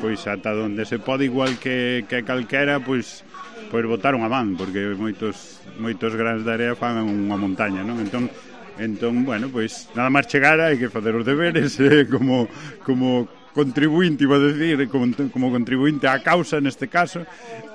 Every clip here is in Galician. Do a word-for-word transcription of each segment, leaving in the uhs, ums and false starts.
pois ata onde se pode, igual que, que calquera, pois pois botaron a man, porque moitos moitos grans de area fan unha montaña, non? Entón, entón, bueno, pois nada máis chegar hai que facer os deberes eh, como como contribuinte, iba a decir, como, como contribuinte á causa neste caso,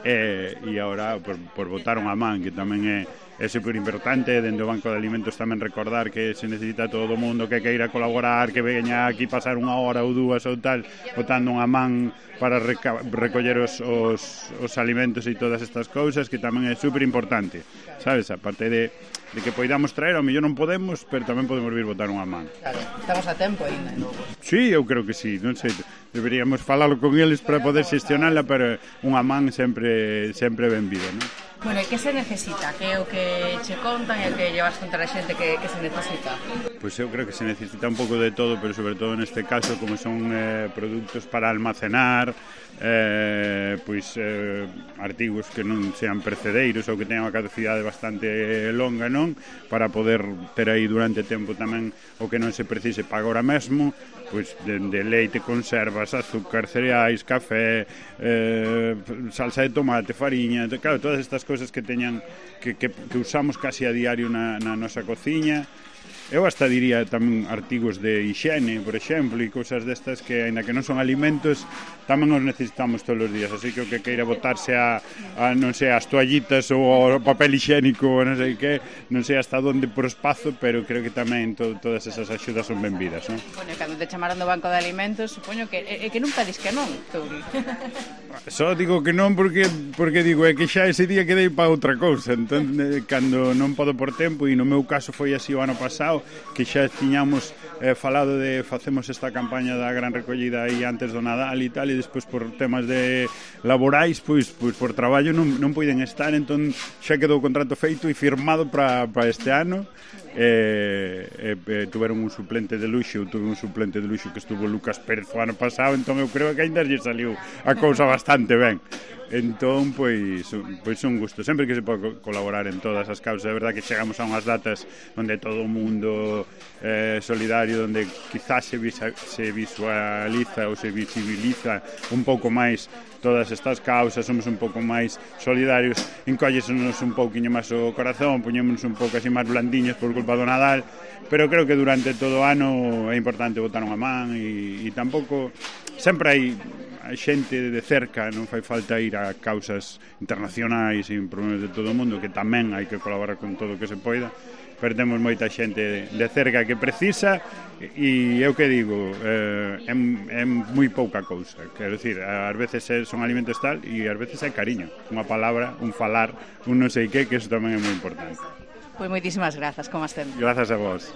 eh, e agora por, por botaron a man, que tamén é é super importante. Dende o Banco de Alimentos tamén recordar que se necesita todo o mundo que queira colaborar, que veña aquí pasar unha hora ou dúas ou tal, botando unha man para reca recoller os, os, os alimentos e todas estas cousas, que tamén é super importante, sabes? A parte de, de que poidamos traer, ao mellor non podemos, pero tamén podemos vir botar unha man. Claro, estamos a tempo ainda, non? Sí, eu creo que sí, non sei, deberíamos falalo con eles para poder xestionala, pero unha man sempre sempre benvida, non? Bueno, e que se necesita? Que é o que che contan e o que llevas contar a xente que, que se necesita? Pois eu creo que se necesita un pouco de todo, pero sobre todo neste caso, como son eh, produtos para almacenar, eh, pois eh, artigos que non sean precedeiros ou que teñan unha caducidade bastante longa, non? Para poder ter aí durante tempo tamén o que non se precise para agora mesmo, pois de, de leite, conservas, azúcar, cereais, café, eh, salsa de tomate, fariña, claro, todas estas cousas que teñan que, que, que usamos casi a diario na, na nosa cociña. Eu hasta diría tamén artigos de higiene, por exemplo, e cousas destas que, ainda que non son alimentos, tamén os necesitamos todos os días, así que o que queira botarse a, a non sei, as toallitas ou ao papel higiénico ou non sei que, non sei hasta onde por espazo, pero creo que tamén to, todas esas axudas son benvidas, non? Bueno, e cando te chamaron do Banco de Alimentos, supoño que é que non pedis que non, Touri. Só digo que non porque porque digo, é que xa ese día quedei para outra cousa, entón, cando non podo por tempo, e no meu caso foi así o ano pasado, que xa tiñamos eh, falado de facemos esta campaña da gran recollida aí antes do Nadal e tal, e despois por temas de laborais, pois, pois por traballo non, non poiden estar, entón xa quedou o contrato feito e firmado para este ano. E, e, e tuveron un suplente de luxo, eu tuve un suplente de luxo que estuvo Lucas Pérez o ano pasado, entón eu creo que ainda lle saliu a cousa bastante ben. Entón, pois, pois un gusto, sempre que se pode colaborar en todas as causas. É verdad que chegamos a unhas datas onde todo o mundo é eh, solidario, onde quizás se, visa, se visualiza ou se visibiliza un pouco máis todas estas causas, somos un pouco máis solidarios, encóllesenos un pouquiño máis o corazón, poñémonos un pouco así máis blandiños por culpa do Nadal, pero creo que durante todo o ano é importante botar unha man e, e tampouco sempre hai a xente de cerca, non fai falta ir a causas internacionais e problemas de todo o mundo, que tamén hai que colaborar con todo o que se poida, pero temos moita xente de cerca que precisa, e eu que digo, eh, é, é moi pouca cousa, quero dicir, ás veces son alimentos tal, e ás veces é cariño, unha palabra, un falar, un non sei que, que eso tamén é moi importante. Pois moitísimas grazas, como as sempre. Grazas a vos.